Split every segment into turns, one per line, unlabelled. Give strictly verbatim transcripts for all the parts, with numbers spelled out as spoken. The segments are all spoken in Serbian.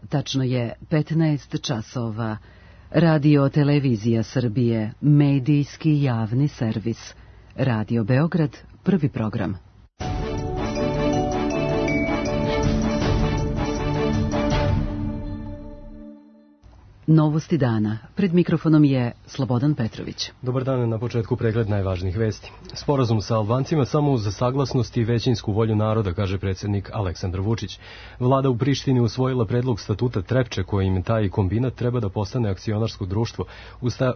Tačno je petnaest časova. Radio Televizija Srbije, medijski javni servis. Radio Beograd, prvi program. Novosti dana. Pred mikrofonom je Slobodan Petrović.
Dobar dan, na početku pregled najvažnijih vesti. Sporazum sa Albancima samo uz saglasnost i većinsku volju naroda, kaže predsjednik Aleksandar Vučić. Vlada u Prištini usvojila predlog statuta Trepče, kojim taj kombinat treba da postane akcionarsko društvo.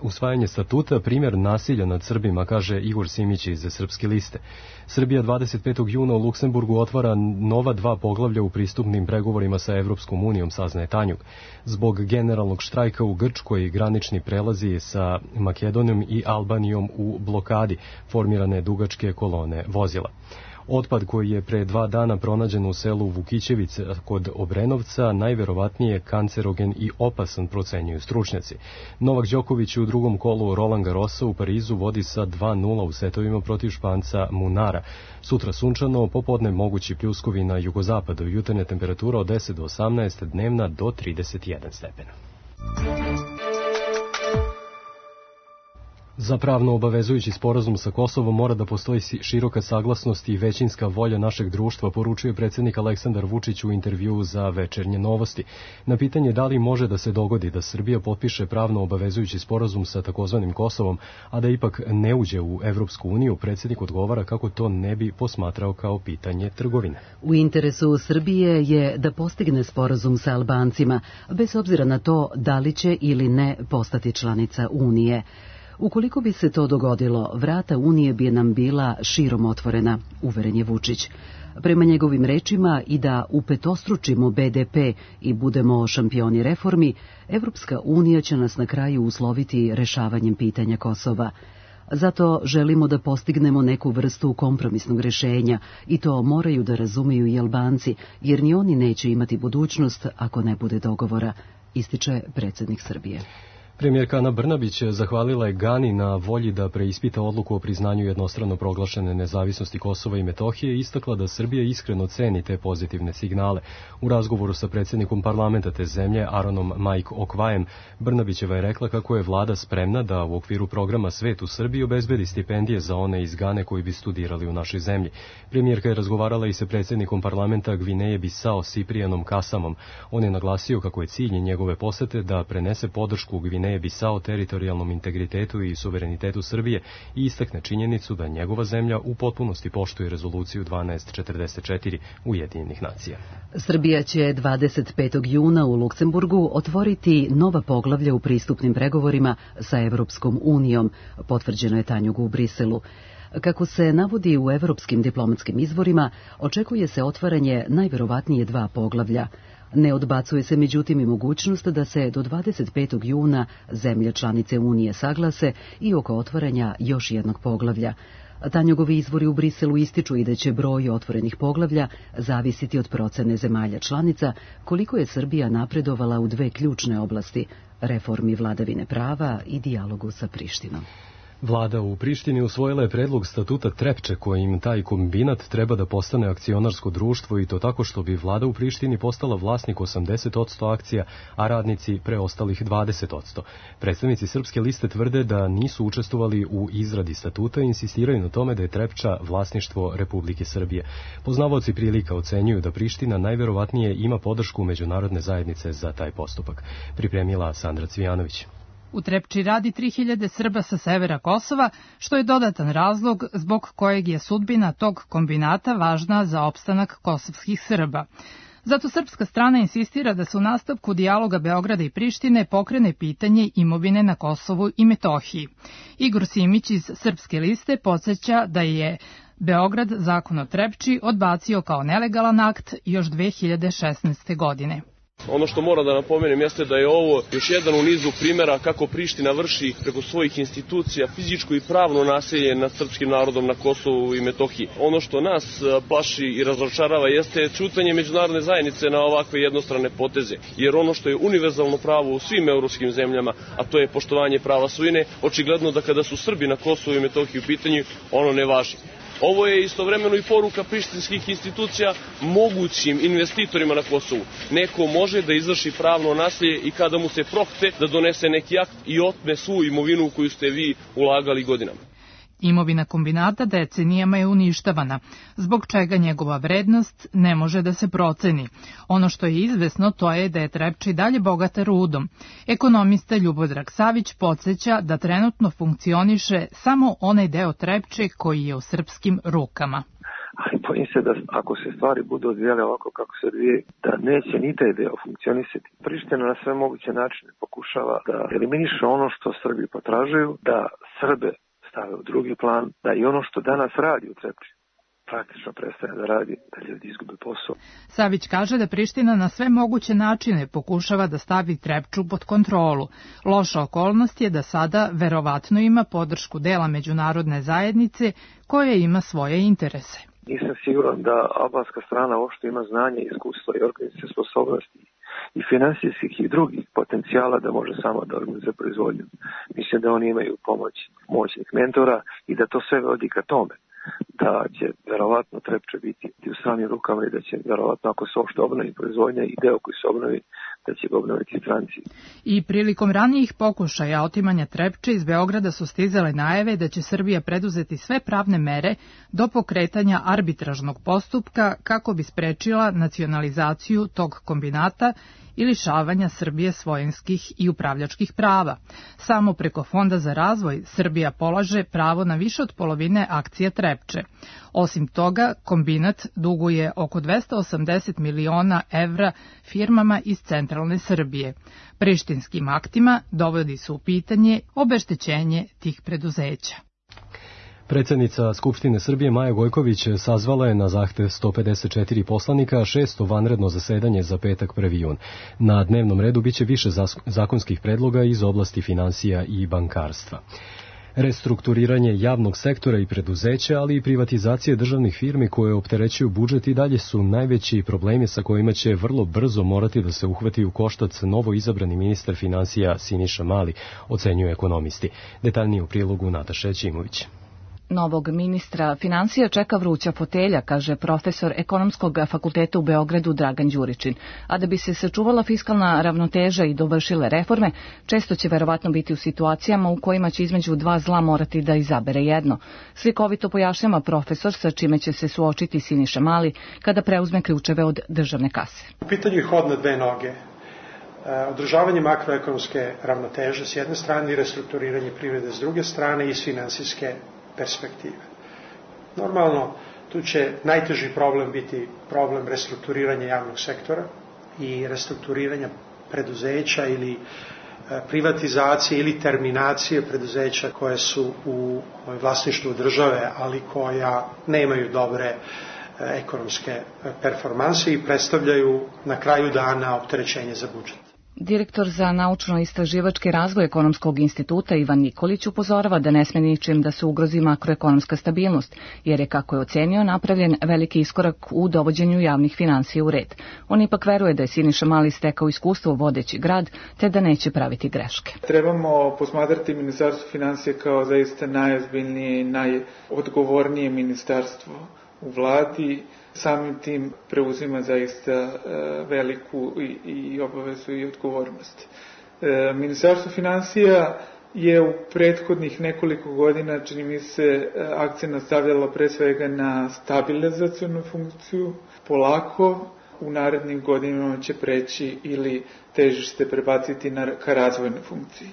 Usvajanje statuta primjer nasilja nad Srbima, kaže Igor Simić iz Srpske liste. Srbija dvadeset petog juna u Luksemburgu otvara nova dva poglavlja u pristupnim pregovorima sa Evropskom unijom, saznaje Tanjug. Zbog generalnog štrajka u Grčkoj granični prelazi sa Makedonijom i Albanijom u blokadi, formirane dugačke kolone vozila. Otpad koji je pre dva dana pronađen u selu Vukićevice kod Obrenovca najverovatnije kancerogen i opasan, procenjuju stručnjaci. Novak Đoković u drugom kolu Roland Garrosa u Parizu vodi sa dva nula u setovima protiv Španca Munara. Sutra sunčano, popodne mogući pljuskovi na jugozapadu, jutarnja temperatura od deset do osamnaest, dnevna do trideset jedan stepena. Za pravno obavezujući sporazum sa Kosovom mora da postoji široka saglasnost i većinska volja našeg društva, poručuje predsjednik Aleksandar Vučić u intervjuu za Večernje novosti. Na pitanje da li može da se dogodi da Srbija potpiše pravno obavezujući sporazum sa takozvanim Kosovom, a da ipak ne uđe u Evropsku uniju, predsjednik odgovara kako to ne bi posmatrao kao pitanje trgovine.
U interesu Srbije je da postigne sporazum sa Albancima, bez obzira na to da li će ili ne postati članica Unije. Ukoliko bi se to dogodilo, vrata Unije bi nam bila širom otvorena, uveren je Vučić. Prema njegovim rečima, i da upetostručimo be de pe i budemo šampioni reformi, Evropska unija će nas na kraju usloviti rešavanjem pitanja Kosova. Zato želimo da postignemo neku vrstu kompromisnog rešenja i to moraju da razumeju i Albanci, jer ni oni neće imati budućnost ako ne bude dogovora, ističe predsjednik Srbije.
Premijerka Ana Brnabić zahvalila je Gani na volji da preispita odluku o priznanju jednostrano proglašene nezavisnosti Kosova i Metohije i istakla da Srbija iskreno ceni te pozitivne signale. U razgovoru sa predsjednikom parlamenta te zemlje, Aronom Majk Okvajem, Brnabićeva je rekla kako je vlada spremna da u okviru programa Svet u Srbiji obezbedi stipendije za one iz Gane koji bi studirali u našoj zemlji. Premijerka je razgovarala i sa predsjednikom parlamenta Gvineje Bisao Siprijanom Kasamom. On je naglasio kako je cilj njegove posete da prenese podršku Gvineje Bisao teritorijalnom integritetu i suverenitetu Srbije i istakne činjenicu da njegova zemlja u potpunosti poštuje rezoluciju dvanaest četrdeset četiri Ujedinjenih nacija.
Srbija će dvadeset petog juna u Luksemburgu otvoriti nova poglavlja u pristupnim pregovorima sa Evropskom unijom, potvrđeno je Tanjugu u Briselu. Kako se navodi u evropskim diplomatskim izvorima, očekuje se otvaranje najverovatnije dva poglavlja. Ne odbacuje se međutim i mogućnost da se do dvadeset petog juna zemlje članice Unije saglase i oko otvaranja još jednog poglavlja. Tanjugovi izvori u Briselu ističu i da će broj otvorenih poglavlja zavisiti od procene zemalja članica, koliko je Srbija napredovala u dve ključne oblasti, reformi vladavine prava i dijalogu sa Prištinom.
Vlada u Prištini usvojila je predlog statuta Trepče kojim taj kombinat treba da postane akcionarsko društvo i to tako što bi vlada u Prištini postala vlasnik osamdeset posto akcija, a radnici preostalih dvadeset posto. Predstavnici Srpske liste tvrde da nisu učestvovali u izradi statuta i insistiraju na tome da je Trepča vlasništvo Republike Srbije. Poznavaoci prilika ocenjuju da Priština najverovatnije ima podršku međunarodne zajednice za taj postupak. Pripremila Sandra Cvijanović.
U Trepči radi tri hiljade Srba sa severa Kosova, što je dodatan razlog zbog kojeg je sudbina tog kombinata važna za opstanak kosovskih Srba. Zato srpska strana insistira da se u nastavku dijaloga Beograda i Prištine pokrene pitanje imovine na Kosovu i Metohiji. Igor Simić iz Srpske liste podsjeća da je Beograd zakon o Trepči odbacio kao nelegalan akt još dve hiljade šesnaeste. godine.
Ono što moram da napomenem jeste da je ovo još jedan u nizu primjera kako Priština vrši preko svojih institucija fizičko i pravno nasilje nad srpskim narodom na Kosovu i Metohiji. Ono što nas plaši i razočarava jeste ćutanje međunarodne zajednice na ovakve jednostrane poteze, jer ono što je univerzalno pravo u svim evropskim zemljama, a to je poštovanje prava svojine, očigledno da kada su Srbi na Kosovu i Metohiji u pitanju, ono ne važi. Ovo je istovremeno i poruka prištinskih institucija mogućim investitorima na Kosovu. Neko može da izvrši pravno nasilje i kada mu se prohte da donese neki akt i otme svu imovinu koju ste vi ulagali godinama.
Imovina kombinata decenijama je uništavana, zbog čega njegova vrednost ne može da se proceni. Ono što je izvesno to je da je Trepča i dalje bogata rudom. Ekonomista Ljubodrag Savić podsjeća da trenutno funkcioniše samo onaj deo Trepče koji je u srpskim rukama.
Ali bojim se da ako se stvari budu odvijale ovako kako se odvije, da neće ni taj deo funkcionisati. Priština na sve moguće načine pokušava da eliminiše ono što Srbi potražuju, da Srbe stave u drugi plan, da i ono što danas radi u Trepči praktično prestane da radi, da ljudi izgube posao.
Savić kaže da Priština na sve moguće načine pokušava da stavi Trepču pod kontrolu. Loša okolnost je da sada verovatno ima podršku dela međunarodne zajednice koja ima svoje interese.
Nisam siguran da albanska strana uopšte ima znanje, iskustva i organizacijske sposobnosti i finansijskih i drugih potencijala da može sama da organizuje proizvodnju. Mislim da oni imaju pomoć moćnih mentora i da to sve vodi ka tome da će verovatno Trepča biti u stranim rukama i da će verovatno ako se uopšte obnovi proizvodnja i deo koji se obnovi, da će ga obnoviti stranci.
I prilikom ranijih pokušaja otimanja Trepče iz Beograda su stizale najave da će Srbija preduzeti sve pravne mere do pokretanja arbitražnog postupka kako bi sprečila nacionalizaciju tog kombinata i lišavanja Srbije svojinskih i upravljačkih prava. Samo preko Fonda za razvoj Srbija polaže pravo na više od polovine akcija Trepče. Osim toga, kombinat duguje oko dvesta osamdeset miliona evra firmama iz centralne Srbije. Prištinskim aktima dovodi se u pitanje obeštećenje tih preduzeća.
Predsednica Skupštine Srbije Maja Gojković sazvala je na zahtev sto pedeset četiri poslanika šesto vanredno zasedanje za petak prvi jun. Na dnevnom redu biće više zakonskih predloga iz oblasti finansija i bankarstva. Restrukturiranje javnog sektora i preduzeća, ali i privatizacije državnih firmi koje opterećuju budžet i dalje su najveći problemi sa kojima će vrlo brzo morati da se uhvati u koštac novo izabrani ministar finansija Siniša Mali, ocenjuju ekonomisti. Detaljnije u prilogu Nataša Ćimović.
Novog ministra finansija čeka vruća fotelja, kaže profesor Ekonomskog fakulteta u Beogradu Dragan Đuričin. A da bi se sačuvala fiskalna ravnoteža i dovršile reforme, često će verovatno biti u situacijama u kojima će između dva zla morati da izabere jedno. Slikovito pojašnjava profesor sa čime će se suočiti Siniša Mali kada preuzme ključeve od državne kase.
U pitanju je hod na dve noge. Održavanje makroekonomske ravnoteže s jedne strane i restrukturiranje privrede s druge strane iz finansijske perspektive. Normalno, tu će najteži problem biti problem restrukturiranja javnog sektora i restrukturiranja preduzeća ili privatizacije ili terminacije preduzeća koje su u vlasništvu države, ali koja nemaju dobre ekonomske performanse i predstavljaju na kraju dana opterećenje za budžet.
Direktor za naučno-istraživački razvoj Ekonomskog instituta Ivan Nikolić upozorava da ne sme ničim da se ugrozi makroekonomska stabilnost, jer je, kako je ocenio, napravljen veliki iskorak u dovođenju javnih finansija u red. On ipak veruje da je Siniša Mali stekao iskustvo vodeći grad, te da neće praviti greške.
Trebamo posmatrati Ministarstvo finansija kao zaista najozbiljnije i najodgovornije ministarstvo u vladi. Samim tim preuzima zaista veliku i, i obavezu i odgovornost. E, Ministarstvo finansija je u prethodnih nekoliko godina, čini mi se, akcent stavljalo pre svega na stabilizacionu funkciju. Polako u narednim godinama će preći ili težište prebaciti na, ka razvojnoj funkciji.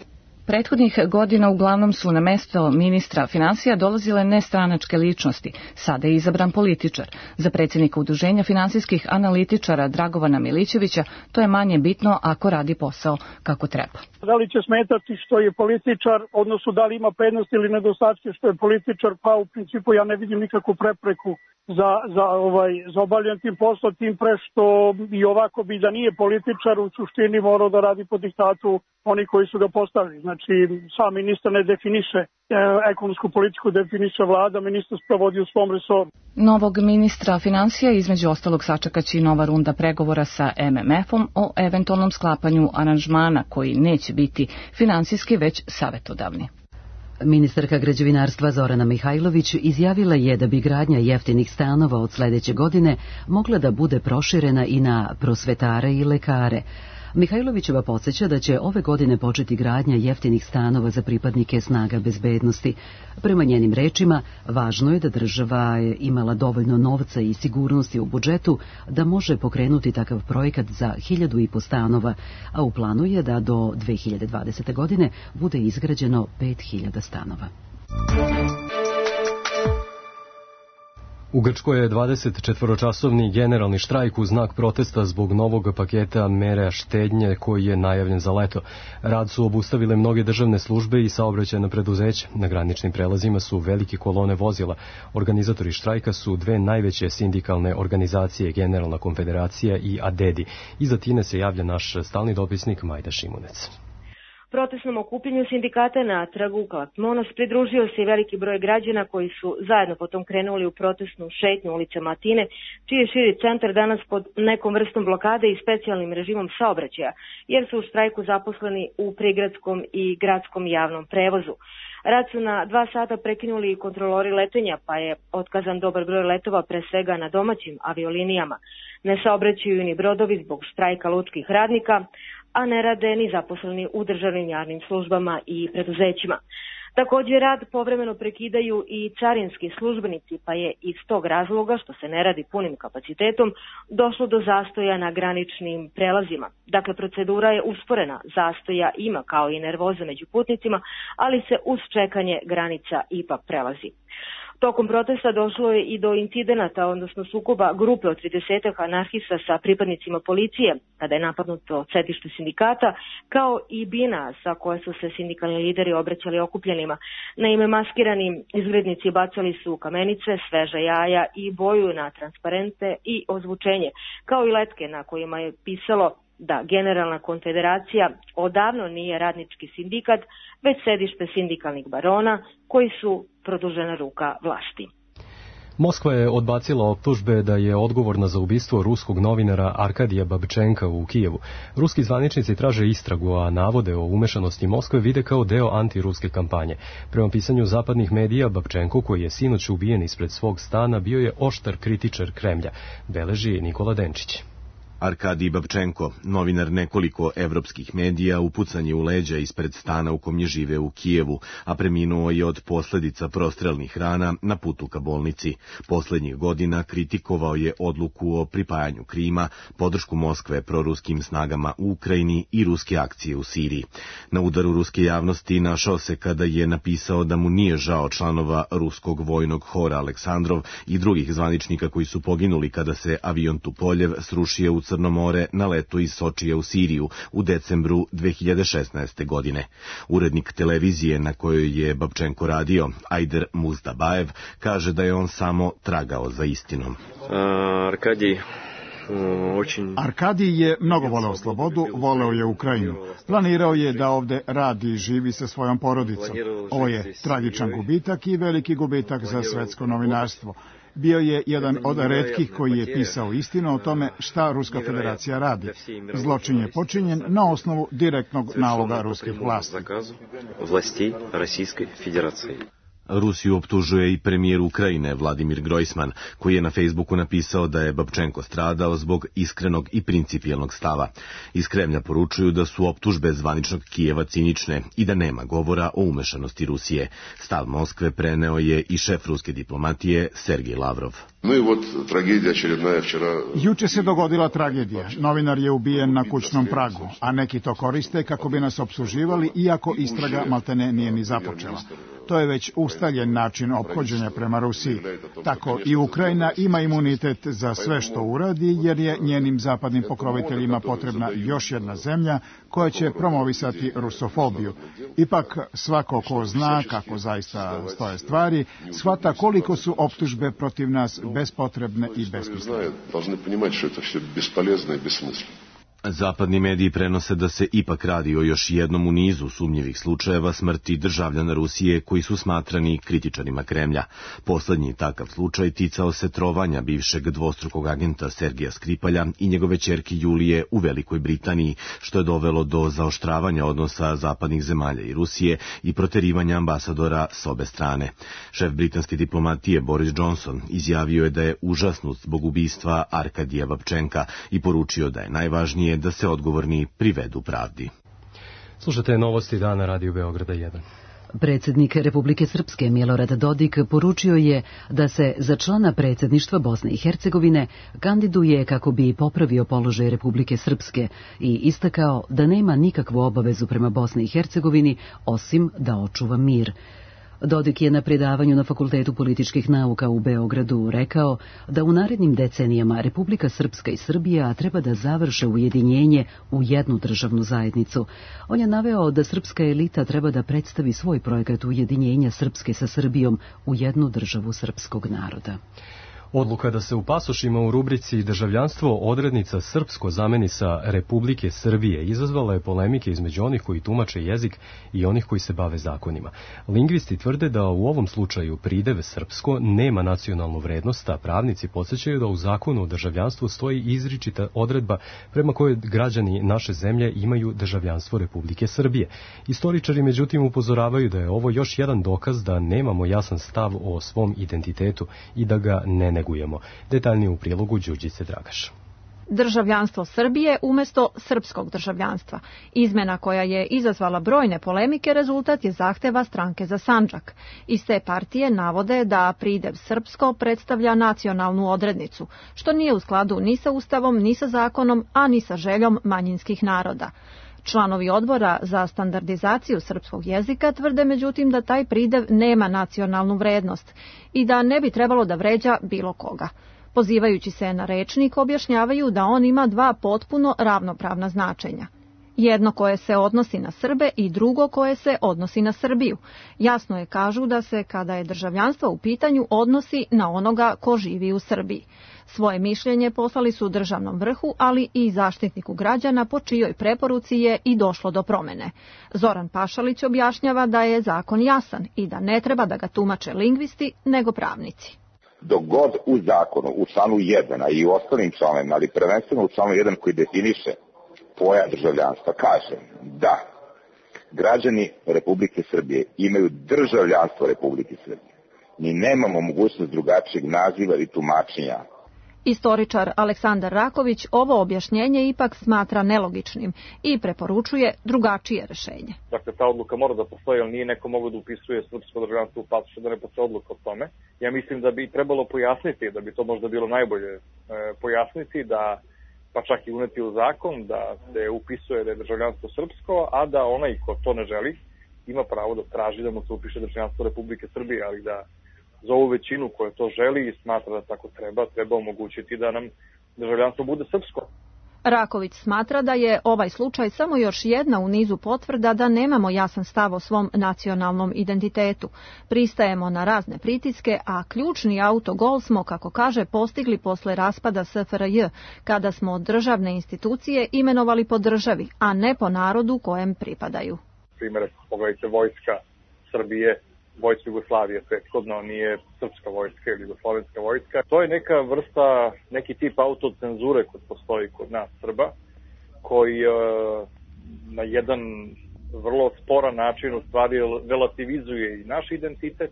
Prethodnih godina uglavnom su na mesto ministra finansija dolazile nestranačke ličnosti. Sada je izabran političar. Za predsjednika Udruženja finansijskih analitičara Dragovana Milićevića to je manje bitno ako radi posao kako treba.
Da li će smetati što je političar, odnosno da li ima prednost ili nedostatke što je političar, pa u principu ja ne vidim nikakvu prepreku za, za, ovaj, za obavljanje tim posla, tim pre što i ovako bi da nije političar u suštini morao da radi po diktatu oni koji su ga postavili. Znači, sam ministar ne definiše, ekonomsku politiku definiše vlada, ministar sprovodi u svom resoru.
Novog ministra finansija između ostalog sačekaće i nova runda pregovora sa em em efom o eventualnom sklapanju aranžmana koji neće biti finansijski već savetodavni.
Ministarka građevinarstva Zorana Mihajlović izjavila je da bi gradnja jeftinih stanova od sledeće godine mogla da bude proširena i na prosvetare i lekare. Mihajlovićeva podsjeća da će ove godine početi gradnja jeftinih stanova za pripadnike snaga bezbednosti. Prema njenim rečima, važno je da država je imala dovoljno novca i sigurnosti u budžetu da može pokrenuti takav projekat za hiljadu i po stanova, a u planu je da do dve hiljade dvadesete. godine bude izgrađeno pet hiljada stanova.
U Grčkoj je dvadesetčetvoročasovni generalni štrajk u znak protesta zbog novog paketa mera štednje koji je najavljen za leto. Rad su obustavile mnoge državne službe i saobraćajna preduzeća. Na graničnim prelazima su velike kolone vozila. Organizatori štrajka su dve najveće sindikalne organizacije, Generalna konfederacija i Adedi. Iz Atine se javlja naš stalni dopisnik Majda Šimunec.
Protestnom okupljenju sindikata na trgu Kalakmonos pridružio se i veliki broj građana koji su zajedno potom krenuli u protestnu šetnju ulicama Atine, čiji je širi centar danas pod nekom vrstom blokade i specijalnim režimom saobraćaja, jer su u štrajku zaposleni u prigradskom i gradskom javnom prevozu. Rad su na dva sata prekinuli i kontrolori letenja, pa je otkazan dobar broj letova, pre svega na domaćim aviolinijama. Ne saobraćaju ni brodovi zbog štrajka lučkih radnika, a ne rade ni zaposleni u državnim javnim službama i preduzećima. Također rad povremeno prekidaju i carinski službenici, pa je iz tog razloga, što se ne radi punim kapacitetom, došlo do zastoja na graničnim prelazima. Dakle, procedura je usporena, zastoja ima kao i nervoza među putnicima, ali se uz čekanje granica ipak prelazi. Tokom protesta došlo je i do incidenata, odnosno sukoba grupe od tridesetak anarhista sa pripadnicima policije, kada je napadnuto sedište sindikata, kao i bina sa koje su se sindikalni lideri obraćali okupljenima. Naime, maskirani izgrednici bacali su kamenice, sveža jaja i boju na transparente i ozvučenje, kao i letke na kojima je pisalo da Generalna konfederacija odavno nije radnički sindikat, već sedište sindikalnih barona koji su produžena ruka vlasti.
Moskva je odbacila optužbe da je odgovorna za ubistvo ruskog novinara Arkadija Babčenka u Kijevu. Ruski zvaničnici traže istragu, a navode o umešanosti Moskve vide kao deo antiruske kampanje. Prema pisanju zapadnih medija, Babčenko, koji je sinoć ubijen ispred svog stana, bio je oštar kritičar Kremlja, beleži Nikola Denčić.
Arkadij Babčenko, novinar nekoliko evropskih medija, upucan je u leđa ispred stana u kom je žive u Kijevu, a preminuo je od posledica prostrelnih rana na putu ka bolnici. Poslednjih godina kritikovao je odluku o pripajanju Krima, podršku Moskve proruskim snagama u Ukrajini i ruske akcije u Siriji. Na udaru ruske javnosti našao se kada je napisao da mu nije žao članova ruskog vojnog hora Aleksandrov i drugih zvaničnika koji su poginuli kada se avion Tupoljev srušio u Crno more na letu iz Sočija u Siriju u decembru dve hiljade šesnaeste. godine. Urednik televizije na kojoj je Babčenko radio, Ajder Muzdabajev, kaže da je on samo tragao za istinom.
Arkadij
Arkadij je mnogo voleo slobodu, voleo je Ukrajinu. Planirao je da ovde radi i živi sa svojom porodicom. Ovo je tragičan gubitak i veliki gubitak za svetsko novinarstvo. Bio je jedan od retkih koji je pisao istinu o tome šta Ruska federacija radi. Zločin je počinjen na osnovu direktnog naloga ruskih vlasti.
Rusiju optužuje i premijer Ukrajine Vladimir Grojsman, koji je na Facebooku napisao da je Babčenko stradao zbog iskrenog i principijelnog stava. Iz Kremlja poručuju da su optužbe zvaničnog Kijeva cinične i da nema govora o umešanosti Rusije. Stav Moskve preneo je i šef ruske diplomatije Sergej Lavrov.
No i вот tragedija очередная вчера.
Juče se dogodila tragedija. Novinar je ubijen na kućnom pragu, a neki to koriste kako bi nas opsuživali, iako istraga maltene nije ni započela. To je već ustaljen način ophođenja prema Rusiji. Tako i Ukrajina ima imunitet za sve što uradi, jer je njenim zapadnim pokroviteljima potrebna još jedna zemlja koja će promovisati rusofobiju. Ipak, svako ko zna kako zaista stoje stvari, shvata koliko su optužbe protiv nas bespotrebne i besmislene.
Zapadni mediji prenose da se ipak radi o još jednom u nizu sumnjivih slučajeva smrti državljana Rusije koji su smatrani kritičarima Kremlja. Poslednji takav slučaj ticao se trovanja bivšeg dvostrukog agenta Sergeja Skripalja i njegove ćerke Julije u Velikoj Britaniji, što je dovelo do zaoštravanja odnosa zapadnih zemalja i Rusije i proterivanja ambasadora s obe strane. Šef britanske diplomatije Boris Johnson izjavio je da je užasnut zbog ubistva Arkadija Babčenka i poručio da je najvažnije da se odgovorni privedu pravdi.
Slušate novosti dana Radio Beograda jedan.
Predsjednik Republike Srpske Milorad Dodik poručio je da se za člana predsjedništva Bosne i Hercegovine kandiduje kako bi popravio položaj Republike Srpske i istakao da nema nikakvu obavezu prema Bosni i Hercegovini osim da očuva mir. Dodik je na predavanju na Fakultetu političkih nauka u Beogradu rekao da u narednim decenijama Republika Srpska i Srbija treba da završe ujedinjenje u jednu državnu zajednicu. On je naveo da srpska elita treba da predstavi svoj projekat ujedinjenja Srpske sa Srbijom u jednu državu srpskog naroda.
Odluka da se u pasošima u rubrici državljanstvo odrednica srpsko zameni sa Republike Srbije izazvala je polemike između onih koji tumače jezik i onih koji se bave zakonima. Lingvisti tvrde da u ovom slučaju pridev srpsko nema nacionalnu vrednost, a pravnici podsjećaju da u zakonu o državljanstvu stoji izričita odredba prema kojoj građani naše zemlje imaju državljanstvo Republike Srbije. Istoričari međutim upozoravaju da je ovo još jedan dokaz da nemamo jasan stav o svom identitetu i da ga ne negujemo. Detaljnije u prilogu Đurđice Dragaš.
Državljanstvo Srbije umjesto srpskog državljanstva. Izmena koja je izazvala brojne polemike rezultat je zahteva Stranke za Sandžak. Iz te partije navode da pridev srpsko predstavlja nacionalnu odrednicu, što nije u skladu ni sa Ustavom, ni sa zakonom, a ni sa željom manjinskih naroda. Članovi odbora za standardizaciju srpskog jezika tvrde međutim da taj pridev nema nacionalnu vrednost i da ne bi trebalo da vređa bilo koga. Pozivajući se na rečnik, objašnjavaju da on ima dva potpuno ravnopravna značenja. Jedno koje se odnosi na Srbe i drugo koje se odnosi na Srbiju. Jasno je kažu da se, kada je državljanstvo u pitanju, odnosi na onoga ko živi u Srbiji. Svoje mišljenje poslali su državnom vrhu, ali i zaštitniku građana, po čijoj preporuci je i došlo do promene. Zoran Pašalić objašnjava da je zakon jasan i da ne treba da ga tumače lingvisti, nego pravnici.
Dok god u zakonu, u članu jedan, a i u ostalim članovima, ali prvenstveno u članu jedan koji definiše pojam državljanstva, kaže da građani Republike Srbije imaju državljanstvo Republike Srbije. Mi nemamo mogućnost drugačijeg naziva i tumačenja.
Istoričar Aleksandar Raković ovo objašnjenje ipak smatra nelogičnim i preporučuje drugačije rešenje.
Dakle, ta odluka mora da postoji, ali nije neko mogo da upisuje srpsko državljanstvo u pasošu, da ne postoji odluka o tome. Ja mislim da bi trebalo pojasniti, da bi to možda bilo najbolje e, pojasniti, da pa čak i uneti u zakon da se upisuje da je državljanstvo srpsko, a da onaj ko to ne želi ima pravo da traži da mu se upiše državljanstvo Republike Srbije, ali da za ovu većinu koja to želi i smatra da tako treba, treba omogućiti da nam državljanstvo bude srpsko.
Raković smatra da je ovaj slučaj samo još jedna u nizu potvrda da nemamo jasan stav o svom nacionalnom identitetu. Pristajemo na razne pritiske, a ključni autogol smo, kako kaže, postigli posle raspada S F R J, kada smo državne institucije imenovali po državi, a ne po narodu kojem pripadaju.
Primjer, pogledajte vojska Srbije, vojska Jugoslavije, prethodno nije srpska vojska ili jugoslovenska vojska. To je neka vrsta, neki tip autocenzure koji postoji kod nas Srba, koji e, na jedan vrlo sporan način u stvari relativizuje i naš identitet,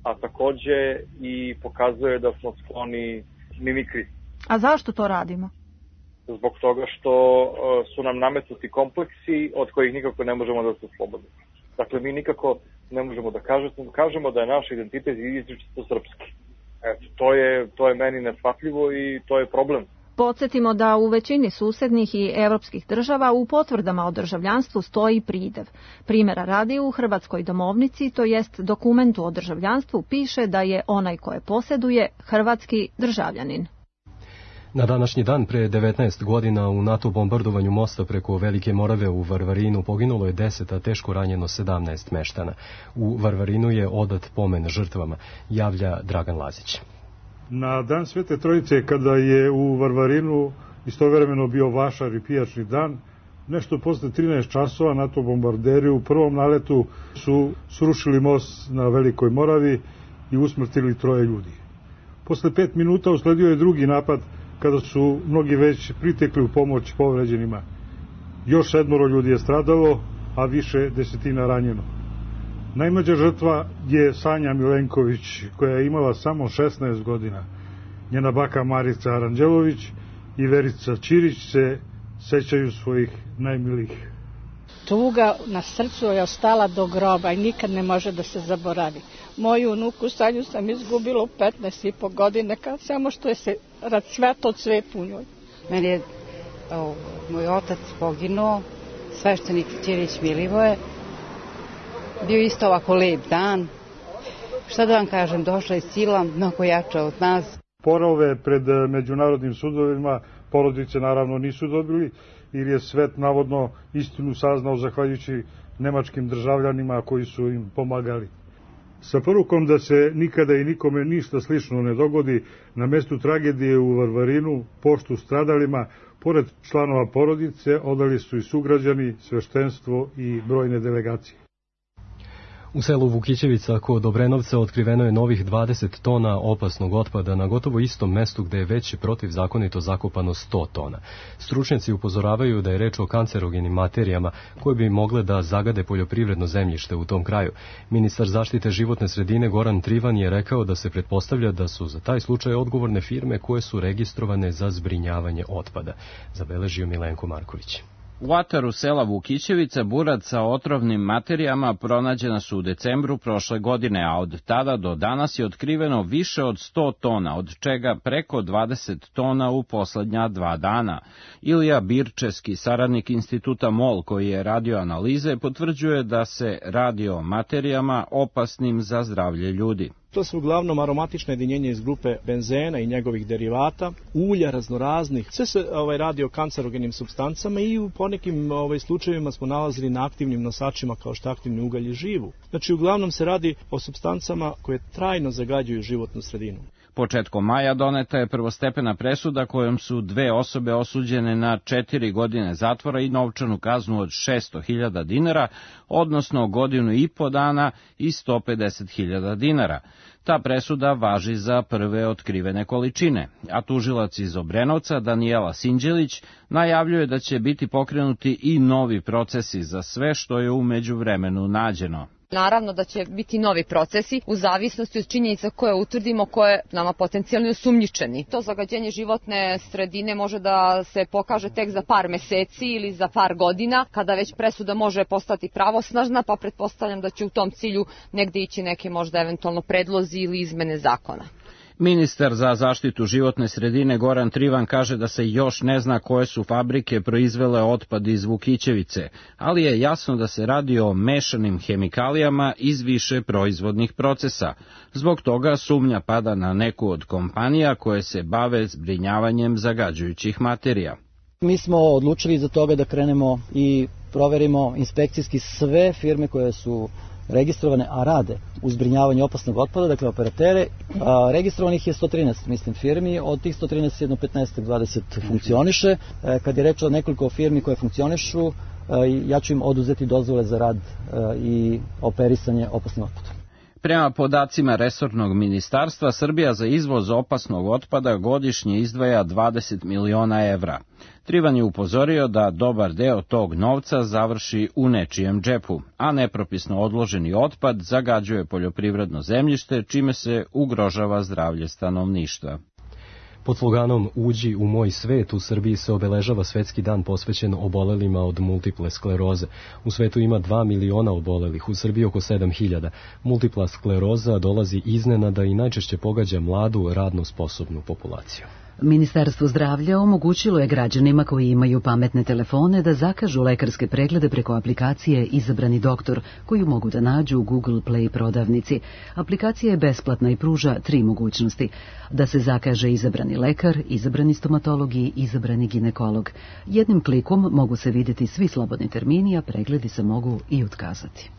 a takođe i pokazuje da smo skloni mimikri.
A zašto to radimo?
Zbog toga što e, su nam nametnuti kompleksi od kojih nikako ne možemo da se oslobodimo. Dakle, mi nikako ne možemo da kažemo, kažemo da je naš identitet izričito srpski. Eto, to je, to je meni neshvatljivo i to je problem.
Podsjetimo da u većini susednih i evropskih država u potvrdama o državljanstvu stoji pridev. Primjera radi, u Hrvatskoj domovnici, to jest dokumentu o državljanstvu, piše da je onaj koje posjeduje hrvatski državljanin.
Na današnji dan pre devetnaest godina u NATO bombardovanju mosta preko Velike Morave u Varvarinu poginulo je deset, a teško ranjeno sedamnaest meštana. U Varvarinu je odat pomen žrtvama, javlja Dragan Lazić.
Na dan Svete Trojice, kada je u Varvarinu istovremeno bio vašar i pijačni dan. Nešto posle trinaest časova NATO bombarderi u prvom naletu su srušili most na Velikoj Moravi i usmrtili troje ljudi. Posle pet minuta usledio je drugi napad kada su mnogi već pritekli u pomoć povređenima. Još sedmoro ljudi je stradalo, a više desetina ranjeno. Najmlađa žrtva je Sanja Milenković, koja je imala samo šesnaest godina. Njena baka Marica Aranđelović i Verica Ćirić se sećaju svojih najmilijih.
Tuga na srcu je ostala do groba i nikad ne može da se zaboravi. Moju unuku Sanju sam izgubila u petnaest i po godine, kad samo što je se cveto cvet u njoj.
Meni je o, moj otac poginuo, sveštenik Ćirić Milivoje. Bio isto ovako lep dan. Šta da vam kažem, došla je sila mnogo jača od nas.
Sporove pred međunarodnim sudovima porodice naravno nisu dobili, jer je svet navodno istinu saznao zahvaljujući nemačkim državljanima koji su im pomagali. Sa porukom da se nikada i nikome ništa slično ne dogodi, na mestu tragedije u Varvarinu poštu stradalima, pored članova porodice, odali su i sugrađani, sveštenstvo i brojne delegacije.
U selu Vukićevica kod Obrenovca otkriveno je novih dvadeset tona opasnog otpada na gotovo istom mestu gde je već protivzakonito zakopano sto tona. Stručnjaci upozoravaju da je reč o kancerogenim materijama koje bi mogle da zagade poljoprivredno zemljište u tom kraju. Ministar zaštite životne sredine Goran Trivan je rekao da se pretpostavlja da su za taj slučaj odgovorne firme koje su registrovane za zbrinjavanje otpada. Zabeležio Milenko Marković.
U ataru sela Vukićevica burad sa otrovnim materijama pronađena su u decembru prošle godine, a od tada do danas je otkriveno više od sto tona, od čega preko dvadeset tona u poslednja dva dana. Ilija Birčevski, saradnik instituta MOL koji je radio analize, potvrđuje da se radi o materijama opasnim za zdravlje ljudi.
To su uglavnom aromatične jedinjenja iz grupe benzena i njegovih derivata, ulja raznoraznih. Sve se ovaj, radi o kancerogenim supstancama i u ponekim ovaj, slučajevima smo nalazili na aktivnim nosačima kao što aktivni ugalj i živu. Znači, uglavnom se radi o supstancama koje trajno zagađuju životnu sredinu.
Početkom maja doneta je prvostepena presuda kojom su dve osobe osuđene na četiri godine zatvora i novčanu kaznu od šesto hiljada dinara, odnosno godinu i po dana i sto pedeset hiljada dinara. Ta presuda važi za prve otkrivene količine, a tužilac iz Obrenovca Danijela Sinđelić najavljuje da će biti pokrenuti i novi procesi za sve što je u međuvremenu nađeno.
Naravno da će biti novi procesi u zavisnosti od činjenica koje utvrdimo, koje nama potencijalno osumnjičeni. To zagađenje životne sredine može da se pokaže tek za par meseci ili za par godina, kada već presuda može postati pravosnažna, pa pretpostavljam da će u tom cilju negde ići neke možda eventualno predlozi ili izmene zakona.
Ministar za zaštitu životne sredine Goran Trivan kaže da se još ne zna koje su fabrike proizvele otpad iz Vukićevice, ali je jasno da se radi o mešanim hemikalijama iz više proizvodnih procesa. Zbog toga sumnja pada na neku od kompanija koje se bave zbrinjavanjem zagađujućih materija.
Mi smo odlučili za toga da krenemo i proverimo inspekcijski sve firme koje su registrovane, a rade u zbrinjavanju opasnog otpada, dakle operatere. A, registrovanih je sto trinaest, mislim, firmi, od tih sto trinaest jedno petnaest dvadeset funkcioniše. E, kad je reč o nekoliko firmi koje funkcionišu, e, ja ću im oduzeti dozvole za rad e, i operisanje opasnim otpadom.
Prema podacima resornog ministarstva, Srbija za izvoz opasnog otpada godišnje izdvaja dvadeset miliona evra. Trivan je upozorio da dobar deo tog novca završi u nečijem džepu, a nepropisno odloženi otpad zagađuje poljoprivredno zemljište, čime se ugrožava zdravlje stanovništva.
Pod sloganom Uđi u moj svet u Srbiji se obeležava svetski dan posvećen obolelima od multiple skleroze. U svetu ima dva miliona obolelih, u Srbiji oko sedam hiljada. Multipla skleroza dolazi iznenada i najčešće pogađa mladu, radno sposobnu populaciju.
Ministarstvo zdravlja omogućilo je građanima koji imaju pametne telefone da zakažu lekarske preglede preko aplikacije Izabrani doktor, koju mogu da nađu u Google Play prodavnici. Aplikacija je besplatna i pruža tri mogućnosti: da se zakaže izabrani lekar, izabrani stomatolog i izabrani ginekolog. Jednim klikom mogu se vidjeti svi slobodni termini, a pregledi se mogu i otkazati.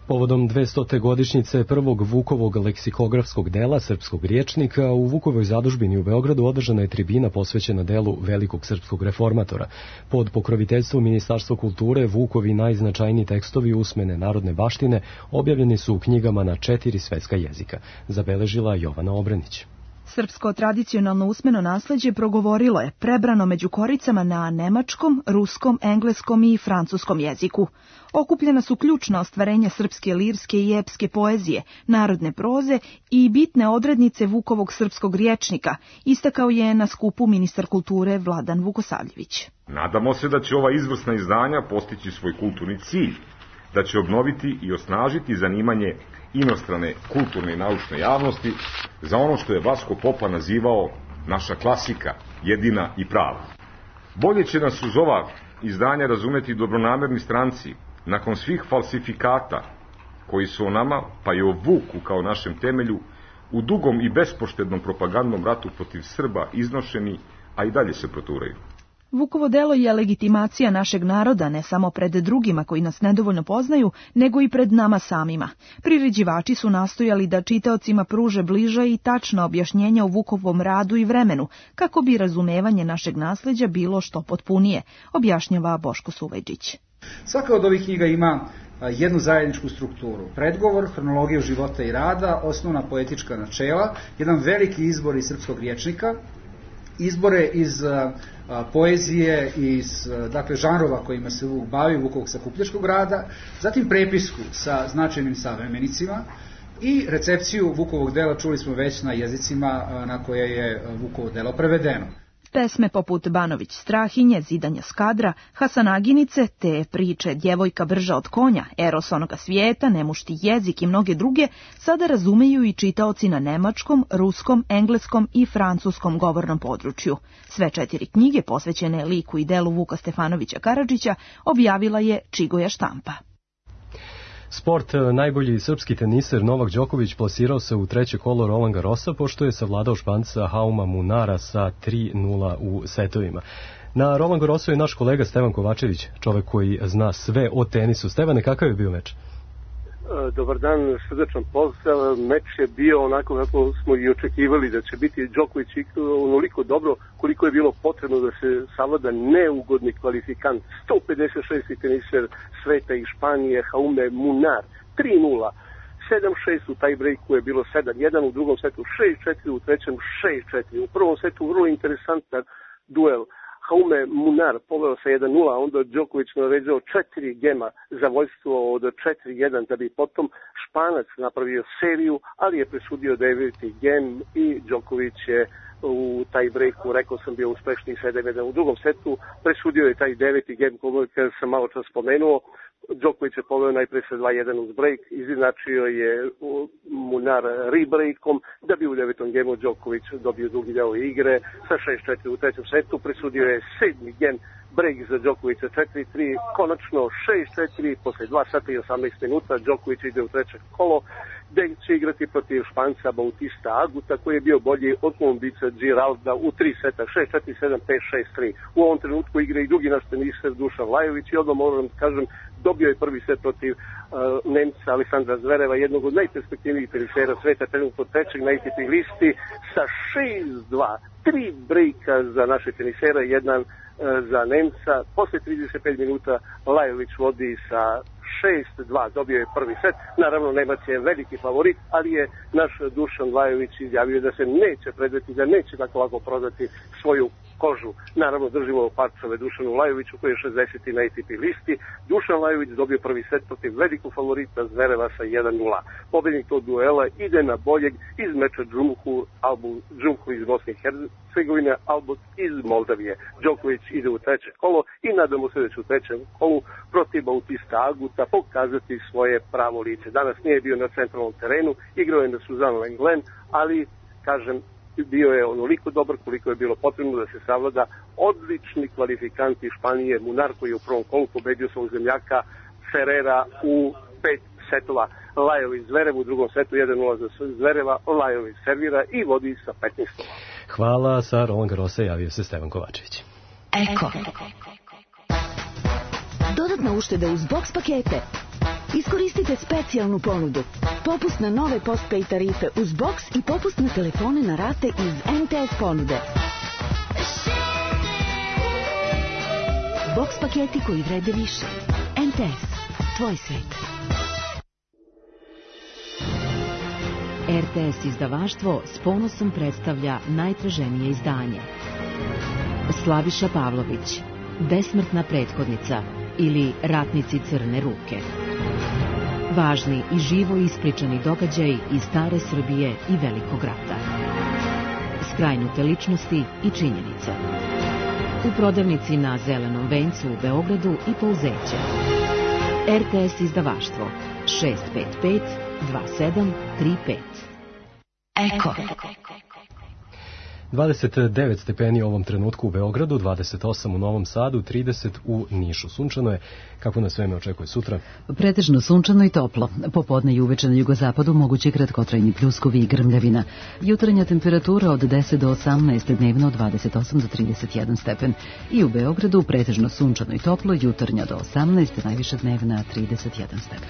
Povodom dvestote godišnjice prvog Vukovog leksikografskog dela srpskog rječnika u Vukovoj zadužbini u Beogradu održana je tribina posvećena delu velikog srpskog reformatora. Pod pokroviteljstvom Ministarstva kulture Vukovi najznačajniji tekstovi usmene narodne baštine objavljeni su u knjigama na četiri svetska jezika, zabeležila Jovana Obranić.
Srpsko tradicionalno usmeno nasleđe progovorilo je prebrano među koricama na nemačkom, ruskom, engleskom i francuskom jeziku. Okupljena su ključna ostvarenja srpske lirske i epske poezije, narodne proze i bitne odrednice Vukovog srpskog rječnika, istakao je na skupu ministar kulture Vladan Vukosavljević.
Nadamo se da će ova izvrsna izdanja postići svoj kulturni cilj, da će obnoviti i osnažiti zanimanje inostrane kulturne i naučne javnosti za ono što je Vasko Popa nazivao naša klasika, jedina i prava. Bolje će nas uz ova izdanja razumeti dobronamerni stranci, nakon svih falsifikata koji su o nama, pa i o Vuku kao našem temelju, u dugom i bespoštednom propagandnom ratu protiv Srba iznošeni, a i dalje se proturaju.
Vukovo delo je legitimacija našeg naroda ne samo pred drugima koji nas nedovoljno poznaju, nego i pred nama samima. Priređivači su nastojali da čitaocima pruže bliža i tačna objašnjenja o Vukovom radu i vremenu, kako bi razumevanje našeg nasleđa bilo što potpunije, objašnjava Boško Suvajđić.
Svaka od ovih knjiga ima jednu zajedničku strukturu. Predgovor, hronologiju života i rada, osnovna poetička načela, jedan veliki izbor iz srpskog rječnika, izbore iz a, a, poezije, iz dakle, žanrova kojima se Vuk bavi, Vukovog sakupljačkog rada, zatim prepisku sa značajnim savremenicima i recepciju Vukovog dela čuli smo već na jezicima a, na koje je Vukovo delo prevedeno.
Pesme poput Banović Strahinje, Zidanja Skadra, Hasanaginice, te priče Djevojka brža od konja, Eros onoga svijeta, Nemušti jezik i mnoge druge sada razumeju i čitaoci na nemačkom, ruskom, engleskom i francuskom govornom području. Sve četiri knjige posvećene liku i delu Vuka Stefanovića Karadžića objavila je Čigoja štampa.
Sport, najbolji srpski teniser Novak Đoković plasirao se u treće kolo Roland Garrosa pošto je savladao Španca Hauma Munara sa tri nula u setovima. Na Roland Garrosu je naš kolega Stevan Kovačević, čovek koji zna sve o tenisu. Stevane, kakav je bio meč?
Dobar dan, srdečan pozdrav. Meč je bio onako kako smo i očekivali da će biti. Đoković onoliko dobro koliko je bilo potrebno da se savlada neugodni kvalifikant. sto pedeset šesti teniser sveta i Španije, Jaume Munar, tri nula. sedam šest u tajbrejku je bilo sedam jedan, u drugom setu šest četiri, u trećem šest četiri. U prvom setu vrlo interesantan duel. Jaume Munar poveo sa jedan nula, onda Đoković naređao četiri gema za vođstvo od četiri jedan, da bi potom Španac napravio seriju, ali je presudio deveti gem i Đoković je u taj breaku, rekao sam, bio uspešniji sedam jedan. U drugom setu presudio je taj deveti gem koji sam malo čas spomenuo. Đoković je poveo najpre sa dva jedan uz break, izinačio je Munar rebreakom, da bi u devetom gemu Đoković dobio drugi deo igre sa šest četiri u trećem setu, presudio je sedmi gem break za Đokovića četiri tri, konačno šest četiri, posle dva sata i osamnaest minuta Đoković ide u treće kolo, gde će igrati protiv Španca Bautista Aguta, koji je bio bolji od Kolumbica Giralda u tri seta, šest četiri, sedam pet, šest tri. U ovom trenutku igra i drugi naš teniser Dušan Lajović i odmah moram da kažem, dobio je prvi set protiv uh, Nemca Aleksandra Zvereva, jednog od najperspektivnijih tenisera sveta, trenutno trećeg na A T P listi, sa šest dva, tri brejka za naše tenisera, jedan uh, za Nemca. Posle trideset pet minuta Lajović vodi sa šest dva, dobio je prvi set. Naravno, Nemac je veliki favorit, ali je naš Dušan Lajović izjavio da se neće predati, da neće tako lako prodati svoju kožu. Naravno, držimo parčove Dušanu Lajoviću, koji je šezdeseti na A T P listi. Dušan Lajović dobio prvi set protiv velikog favorita Zvereva sa jedan nula. Pobednik tog duela ide na boljeg iz meča Džumhu, Albu, Džumhu iz Bosne i Hercegovine, Albut iz Moldavije. Đoković ide u treće kolo i nadamo se da će u trećem kolu protiv Bautista Aguta pokazati svoje pravo lice. Danas nije bio na centralnom terenu, igrao je na Suzanne Lenglen, ali, kažem, bio je onoliko dobar koliko je bilo potrebno da se savlada odlični kvalifikant iz Španije Munar, koji je u prvom kolu pobedio svog zemljaka Ferrera u pet setova. Lajović Zverev u drugom setu jedan nula za Zvereva, Lajović servira i vodi sa petnaest.
Hvala, sa Roland Garrosa javio se Stevan Kovačević.
Eko. Dodatna ušteda uz boks pakete.
Iskoristite specijalnu ponudu. Popust na nove postpaid tarife uz box i popust na telefone na rate iz M T S ponude. Box paketi koji vrede više. M T S. Tvoj svet.
R T S izdavaštvo s ponosom predstavlja najtraženije izdanje. Slaviša Pavlović, Besmrtna prethodnica ili Ratnici crne ruke. Važni i živo ispričani događaji iz stare Srbije i Velikog rata. Skrajnute ličnosti i činjenice. U prodavnici na Zelenom vencu u Beogradu i Pouzeće. R T S izdavaštvo šest pet pet dva sedam tri pet. Eko.
dvadeset devet stepeni u ovom trenutku u Beogradu, dvadeset osam u Novom Sadu, trideset u Nišu. Sunčano je. Kako nas vreme očekuje sutra?
Pretežno sunčano i toplo. Popodne i uveče na jugozapadu mogući kratkotrajni pljuskovi i grmljavina. Jutarnja temperatura od deset do osamnaest, dnevno od dvadeset osam do trideset jedan stepen. I u Beogradu pretežno sunčano i toplo, jutarnja do osamnaest, najviša dnevna trideset jedan stepen.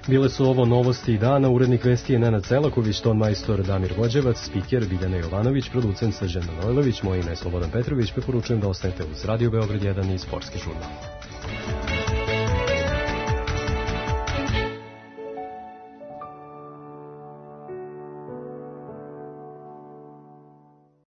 Bile su ovo novosti dana, urednik vesti je Nenad Selaković, ton majstor Damir Vođevac, spiker Biljana Jovanović, producent Srđan Manojlović, moje ime je Slobodan Petrović, preporučujem da ostanete uz Radio Beograd jedan i Sportski žurnal.